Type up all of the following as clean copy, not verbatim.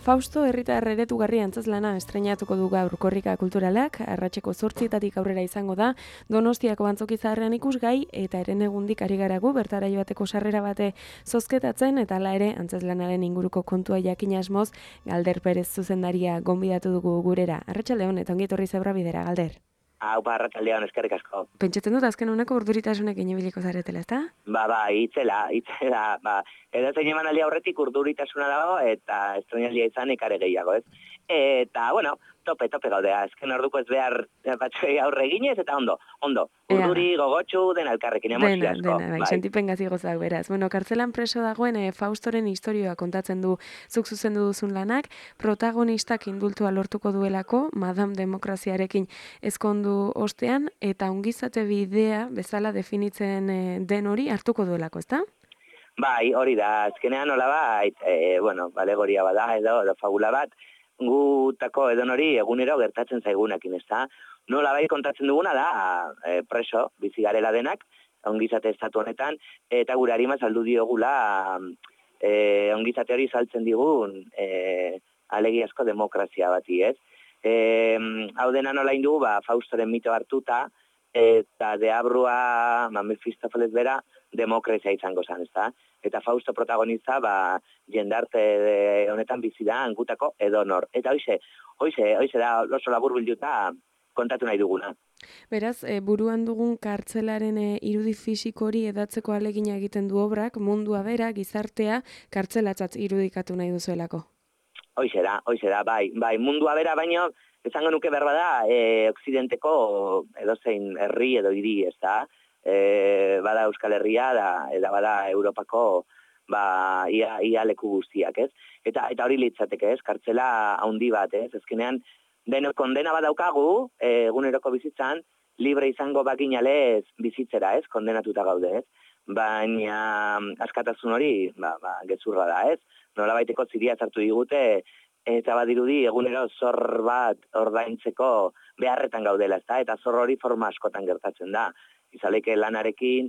Fausto herritar eredugarri antzezlana estreinatuko du gaur Korrika Kulturalak, arratseko 8:00 aurrera izango da, Donostiako Antzoki Zaharrean ikusgai eta herenegundik ari garagu bertara joateko sarrera bate zozketatzen eta hala ere antzezlanaren inguruko kontua jakin asmoz Galder Perez zuzendaria gonbidatu dugu gurera. Arratsaldeon eta ongi etorri Zebrabidera, bidera, Galder. Arratsaldeon, eskerrik asko. Pentsatzen dut azken honeko urduritasunekin ibiliko zaretela, ezta? Itzela, edozein emanaldi aurretik urduritasuna dago eta estreinaldia izanik are gehiago, ez? Eta, tope gaude, azken orduko ez behar batzuei aurre eginez, eta ondo, urduri, gogotsu, dena elkarrekin, emozio asko. Dena, sentipen gazi gozak beraz. Kartzelan preso dagoen Faustoren historioa kontatzen du zuk zuzendu duzun lanak, protagonistak indultua lortuko duelako, Madame Demokraziarekin ezkondu ostean, eta ongizate bidea bezala definitzen den hori hartuko duelako, ezta? Bai, hori da, azkenean nolabait, alegoria bada edo fabula bat, gutako edon hori egunero gertatzen zaigunekin, ezta? Nolabait kontatzen duguna da, preso, bizi garela denak, ongizate estatu honetan, eta gure harima saldu diogula ongizate hori saltzen digun alegiazko demokrazia bati, ez? Hau dena nola indugu, Faustoren mito hartuta, eta deabrua, Mefistofeles bera, demokrazia izango zen, ezta? Eta Fausto protagonista, jendarte honetan bizi da, gutako edonor. Eta hoize da oso labur bilduta kontatu nahi duguna. Beraz, buruan dugun kartzelaren irudi fisiko hori edatzeko alegina egiten du obrak, mundua bera, gizartea, kartzelatzat irudikatu nahi duzuelako. Hoize da, bai, mundua bera, baino, esango nuke berba da, okzidenteko edozein herri edo hiri, ez da, bada Euskal Herria, eta bada Europako, ia leku guztiak, ez? Eta hori litzateke, ez? Kartzela handi bat, ez? Ezkenean, denok kondena bat daukagu, eguneroko bizitzan, libre izango bakinalez bizitzera, ez? Kondenatuta gaude, ez? Baina askatasun hori, gezurra da, ez? Nolabaiteko ziria sartu digute, eta badirudi egunero zor bat ordaintzeko beharretan gaudela, ezta? Eta zor hori forma askotan gertatzen da. Izaleke lanarekin,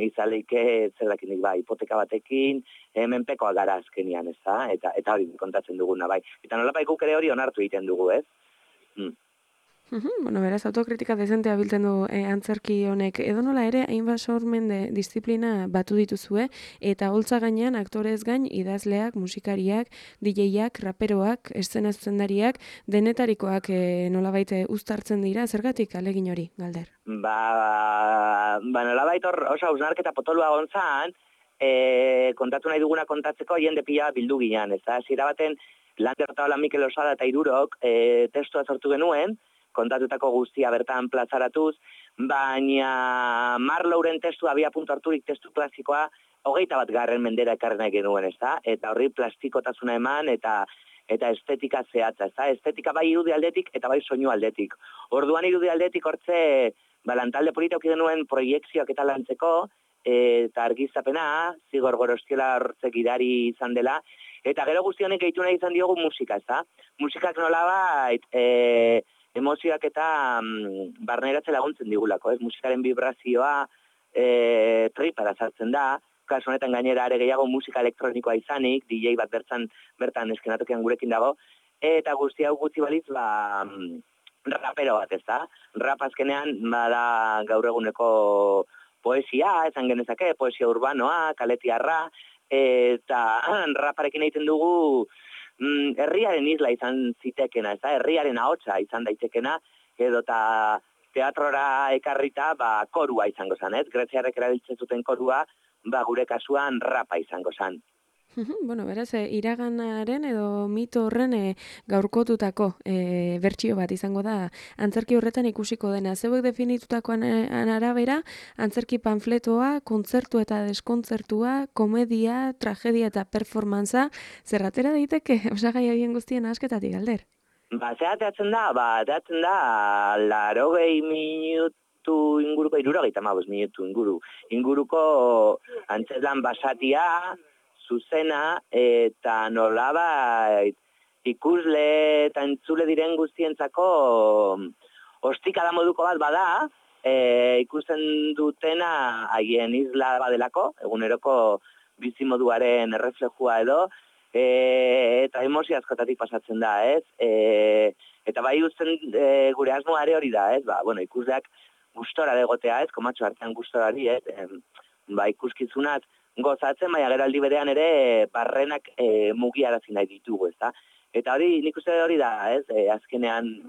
izaleke zerdakinik hipoteka batekin, menpekoa gara azkenian, ezta? Eta hori kontatzen duguna, bai. Eta nolapa ikuk ere hori onartu egiten dugu, ez? Beraz, autokritika dezentea biltzen du antzerki honek. Edo nola ere, hainbat sormende disiplina batu dituzue, eta holtza gainean, aktorez gain, idazleak, musikariak, DJak, raperoak, eszenazendariak, denetarikoak nolabait uztartzen dira, zergatik alegin hori, Galder? Nolabait oso hausnarketa potolua gontzan, kontatu nahi duguna kontatzeko jende pila bildu ginean, ez da? Zira baten, Lander eta Mikel Osada eta Irurok testua sortu genuen, kontatutako guztia bertan plazaratuz, baina Marlowren testua abia puntu harturik testu klasikoa 21. mendera ekarri nahi genuen, ezta? Eta horri plastikotasuna eman eta estetika zehatza, ezta? Estetika bai irudi aldetik eta bai soinu aldetik. Orduan irudi aldetik hortze, lantalde polita auki genuen proiekzioak eta lantzeko, eta argizapena, Zigor Gorostiola hortzek gidari izan dela, eta gero guzti honek gehitu nahi izan diogu musika, ezta? Musikak nolabait, emozioak eta barneratzen laguntzen digulako, ez? Musikaren vibrazioa tripara sartzen da, kasu honetan gainera are gehiago musika elektronikoa izanik, DJ bat bertan eskenatokian gurekin dago, eta guzti hau gutxi balitz, rapero bat, ez da? Rap azkenean, bada gaur eguneko poesia, esan genezake, poesia urbanoa, kaletiarra, eta raparekin egiten dugu herriaren isla izan zitekena, ez da, herriaren ahotsa izan daitekena, edo eta teatrora ekarrita, korua izango zen, ez? Greziarrek erabiltzen zuten korua, gure kasuan rapa izango zen. Beraz, iraganaren edo mito horren gaurkotutako bertsio bat izango da antzerki horretan ikusiko dena. Zeuek definitutakoan arabera, antzerki panfletoa, kontzertu eta deskontzertua, komedia, tragedia eta performantza, zerratera daiteke osagai horien guztien asketatik, Galder? Zeratzen da, 80 minutu inguruko, 75 minutu inguruko antzeslan basatia, zuzena, eta nolabait ikusle eta entzule diren guztientzako ostikada moduko bat bada, ikusten dutena haien isla badelako, eguneroko bizimoduaren erreflejua edo, eta emozio askotatik pasatzen da, ez? Eta bai uzten gure asmoare hori da, ez? Bueno, ikusleak gustora degotea, ez? Komatxo artean gustorari, ez? Ikuskizunat gozatzen, baina geraldi berean ere barrenak mugiarazi nahi ditugu, ez da? Eta hori, nik uste hori da, ez? Azkenean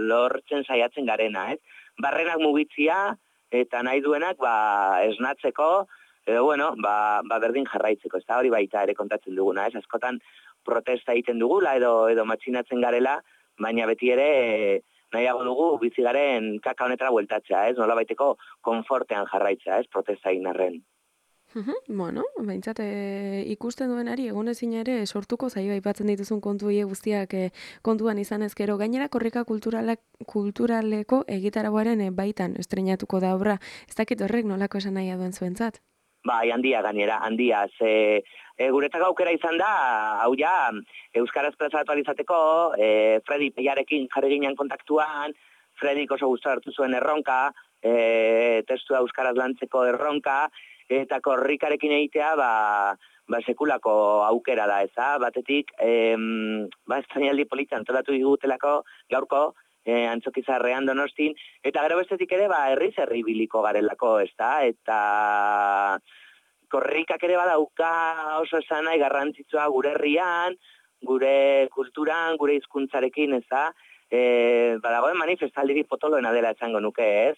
lortzen saiatzen garena, ez? Barrenak mugitzia eta nahi duenak esnatzeko, edo, bueno, berdin jarraitzeko, ez da hori baita ere kontatzen duguna, ez? Askotan protesta egiten dugula edo matxinatzen garela, baina beti ere nahiago dugu bizi garen kaka honetara bueltatzea, ez? Nola baiteko konfortean jarraitzea, ez? Protesta egin arren. Bueno, behintzat ikusten duenari egonezin ere sortuko zaio aipatzen dituzun kontu hie guztiak kontuan izan ezkero. Gainera korrika kulturaleko egitarauaren baitan estreinatuko da obra. Ez dakit horrek nolako esan nahi duen zuentzat? Bai, handia gainera, handia. Guretzako aukera izan da, hau ja, euskaraz plazaratu alizateko, Fredi Peiarekin jarri ginen kontaktuan, Fredik oso gustora hartu zuen erronka, testua euskaraz lantzeko erronka, eta korrikarekin egitea, sekulako aukera da, eza? Batetik, estrainaldi polita antolatu digutelako gaurko, Antzokizarrean Donostin, eta gero bestetik ere, herriz herri biliko garelako, ezta? Eta korrikak ere badauka oso esan nahi garrantzitsua gure herrian, gure kulturan, gure hizkuntzarekin, eza? Badagoen manifestaldirik potoloena dela esango nuke, ez?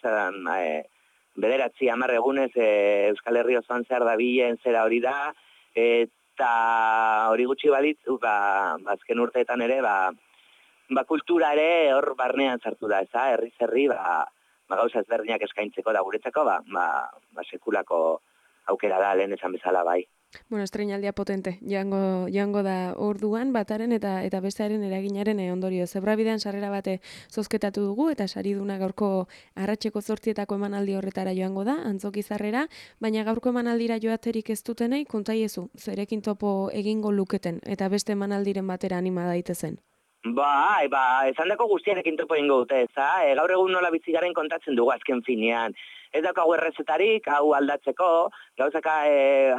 9-10 egunez Euskal Herri osoan zehar dabilen zera hori da, eta hori gutxi balitzu, azken urteetan ere, kultura ere hor barnean sartu da, eza? Herriz herri, gauza ezberdinak eskaintzeko da guretzako, sekulako aukera da, lehen esan bezala, bai. Bueno, estreinaldia potente, joango da orduan bataren eta bestearen eraginaren ondorio. Zebrabidean sarrera bate zozketatu dugu eta sariduna gaurko arratseko 8etako emanaldi horretara joango da, Antzokizarrera, baina gaurko emanaldira joaterik ez dutenei kontaiezu, zerekin topo egingo luketen eta beste emanaldiren batera anima daitezen. Esan dako guztiarekin topo egingo dute, eza? Gaur egun nola bizigaren kontatzen dugu azken finean. Ez daukagu errezetarik, hau aldatzeko, gauzaka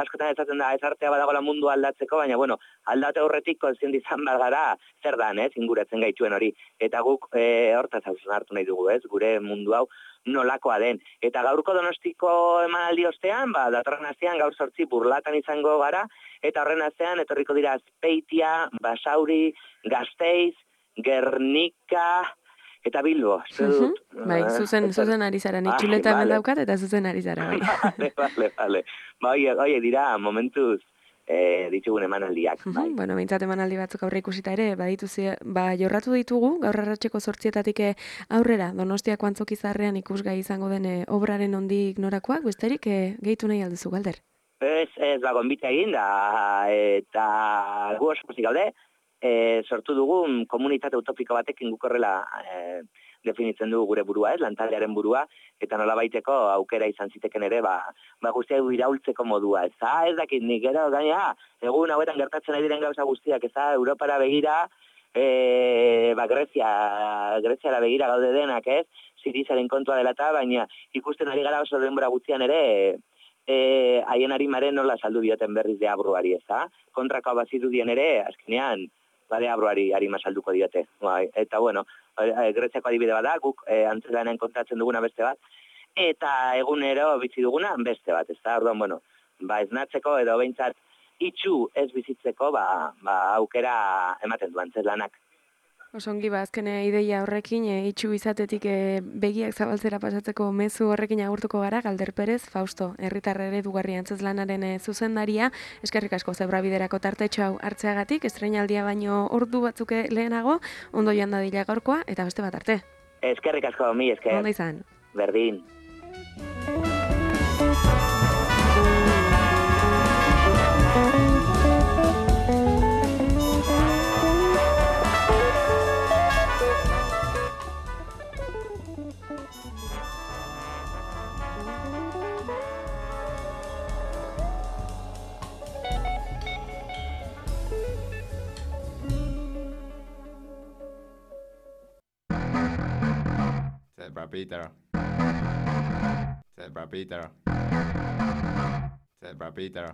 askotan ezaten da, ez artea badagoela mundu aldatzeko, baina, bueno, aldate horretik kontziente izan gara, zer dan, inguratzen gaituen hori. Eta guk hortaz hartu nahi dugu, gure mundu hau nolakoa den. Eta gaurko Donostiko emanaldi ostean, datorren astean gaur 8 Burlatan izango gara, eta horren astean etorriko dira Azpeitia, Basauri, Gasteiz, Gernika, eta Bilbo, espero dut. Bai, zuzen ari zara, nik txuleta hemen daukat eta zuzen ari zara, bai. Vale. Oie, dira, momentuz ditugun emanaldiak, bai. Bueno, behintzat emanaldi batzuk aurre ikusita ere, jorratu ditugu, gaur arratseko 8etatik aurrera, Donostiako Antzokizarrean ikusgai izango den obraren ondik norakoak, besterik gehitu nahi alduzu, Galder? Ez, gonbita egin da, eta gu oso pozik gaude, sortu dugun komunitate utopiko batekin guk horrela definitzen dugu gure burua, lantaldearen burua, eta nola baiteko aukera izan ziteken ere, guztiak iraultzeko modua, ez dakit nik, gaina, egun hauetan gertatzen ari diren gauza guztiak, Europara begira, Greziara begira gaude denak, Sirizaren kontua dela eta, baina ikusten ari gara oso denbora guztian ere, haien harimaren nola saldu dioten berriz de abruari, kontrako bazirudien ere, azkenean, de abruari harima salduko diote. Eta, bueno, Greziako adibide bada, guk antzelanen kontatzen duguna beste bat, eta egunero bizi duguna beste bat, orduan, bueno, esnatzeko edo behintzat itxu ez bizitzeko, aukera ematen du antzelanak. Osongi, azken ideia horrekin, itxu izatetik begiak zabaltzera pasatzeko mezu horrekin agurtuko gara, Galder Perez, Fausto, herritar eredugarri antzezlanaren zuzendaria, eskerrik asko Zebrabiderako tartetxo hau hartzeagatik, estreinaldia baino ordu batzuk lehenago, ondo joan dadila gaurkoa, eta beste bat arte. Eskerrik asko, mi esker. Ondo izan. Berdin. Zebra Peter.